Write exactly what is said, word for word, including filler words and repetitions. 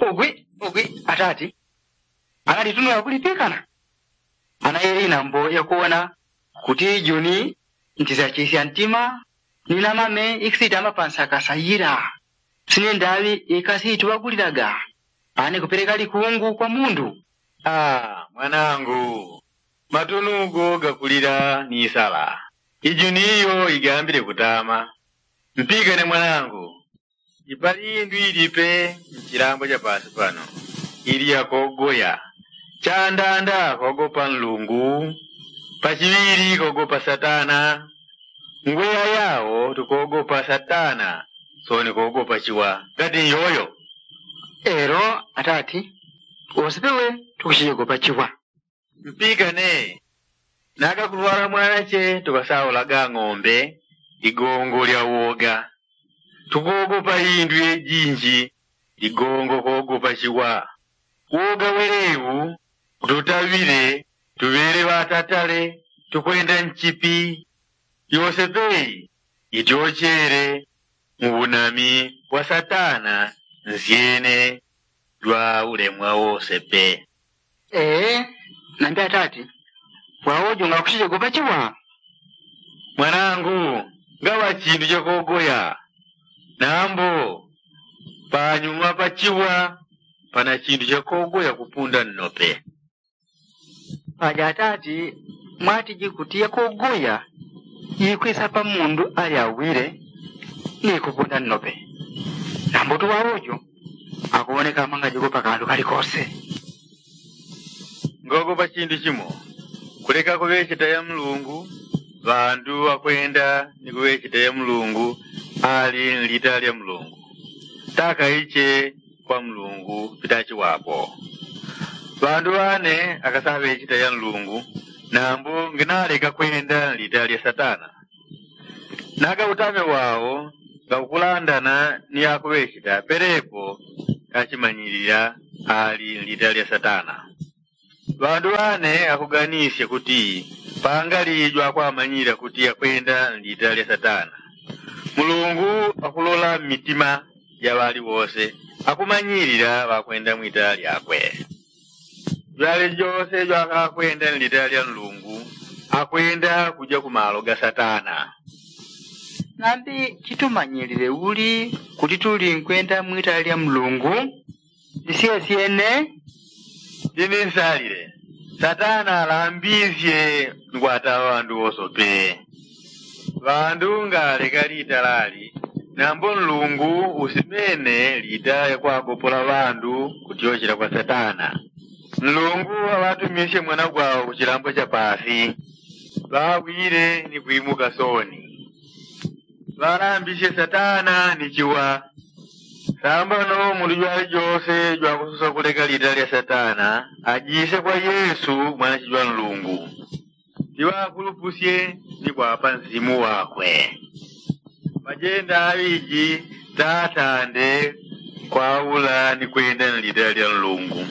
Ugwi ugwi atati, analitunula kulipikana. Ana yeli nambo yakuwona kuti juni ntisachisya ntima, ni namame ikisitama pansakasa yila. Sine ndaŵi ikasituŵagulilaga ane kupeleka likungu kwa mundu. Aa mwanangu, matunugo gakulila ni isala. Ijuni iyo igambile kutama. Mpikane mwanangu, ipali indu ilipe mchilambo cha pasi pano ili yakogoya. Chandanda kogopa nlungu, pachiŵili kogopa satana. Ngweya yao tukogopa satana, soni kogopa chiwa. Ngati nyoyo elo atati, wose pewe tukuchijogopa chiwa. Mpikane, nakakulwala mwanache tukasaulaga ng'ombe, ligongo lya woga. Tukogopa indu yejinji, ligongo kogopa chiwa. Woga welewu kututaŵile tuŵele ŵatatale, tukwenda nchipi. Yose pei ityochele mu unami wa satana nsyene jwa ulemwa wose pe. Ee, nambi atati, wawojo ngakuchijogopa chiwa. Mwanangu, ngaŵa chindu chakogoya. Nambo panyuma pachiwa pana chindu chakogoya kupunda nnope. Paja atati, mwatiji kuti yakogoya ikwisa pa mundu alyawile ni kupunda nnope. Nambo tuwawojo akuwoneka amangajogopa kandu kalikose. Ngogopa chindu chimo, kuleka kuŵecheta ya mlungu. Ŵandu ŵakwenda ni kuŵecheta ya mlungu ali nlita lya mlungu, takaiche kwa mlungu pitachiwapo. Ŵandu ŵane akasaŵecheta ya mlungu, nambo nginaleka kwenda nlita lya satana. Naga utame wao ngakukulandana ni akuŵecheta pelepo kachimanyilila ali nlita lya satana. Ŵandu ŵane akuganisye kuti pangali jwakwamanyilila kuti akwenda nlita lya satana. Mulungu akulola mmitima ja ŵali wose, akumanyilila ŵakwenda mwitala lyakwe. Jwale jose jwakakwenda nlitala lya nlungu akwenda kuja kumalo ga satana. Nambi chitumanyilile uli kuti tuli nkwenda mwitala lya mlungu? Ndisyesyene. Ndini nsalile, satana alambisye nkwata ŵandu wosope. Ŵandu ngaleka lita lali, nambo nlungu usimene lita yakwagopola ŵandu kutyochela kwa satana. Nlungu aŵatumisye mwana gwao kuchilambo cha pasi, ŵawile ni kwimuka soni. Ŵalambisye satana ni chiwa. Sambano mundu jwali jose jwakusosa kuleka lita lya satana ajise kwa yesu mwanache jwa nlungu. Tiŵakulupusye ni kwapa nsimu wakwe. Majenda aŵiji tatande kwaula ni kwenda nlita lya nlungu.